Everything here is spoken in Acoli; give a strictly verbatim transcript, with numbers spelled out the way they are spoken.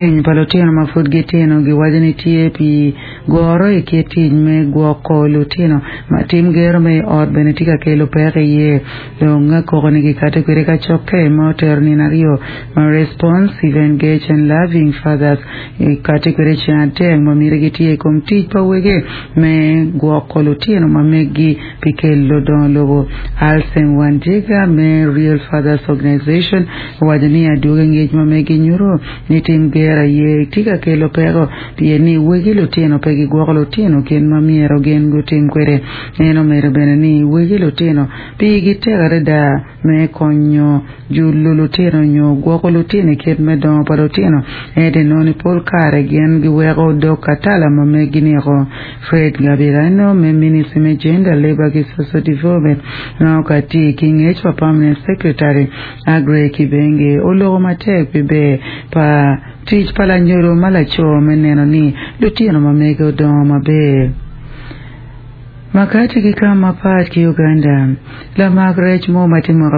Piny pa lutino ma pud gitino giwaco ni tye pi goro i kit tic me gwoko lutino ma tim gero me i ot bene tye ka kelo peko iye dong koko ni gikato kwede kacokke ma otero nino aryo ma responsive engage and loving fathers ikato kwede ceng adek ma myero gitye i kom tic pa wege me gwoko lutino ma meggi pi kelo dongo lobo Alsen Wandiga me Real Fathers Organization owaco ni adwogi ngec ma meggi nyuto ni tim gero aye tye ka kelo peko pien ni wegi lutino pe gigwoko lutino kit ma myero gin gutim kwede en omedo bene ni wegi lutino pigi tek adada me konyo julo lutino nyo gwoko lutino i kit me dongo pa lutino ento inongo ni pol kare gin giweko dog katala ma meggi niko Fred Gabirano me Ministry me Gender Labour ki Social Development ma okati ki ngec pa Permanent Secretary Aggrey Kibenge oloko matek pi ber pa tic pa lanyodo ma laco me neno ni lutino ma mege odongo maber Makati ki kam mapat ki Uganda lamak rec mo ma tye mwaka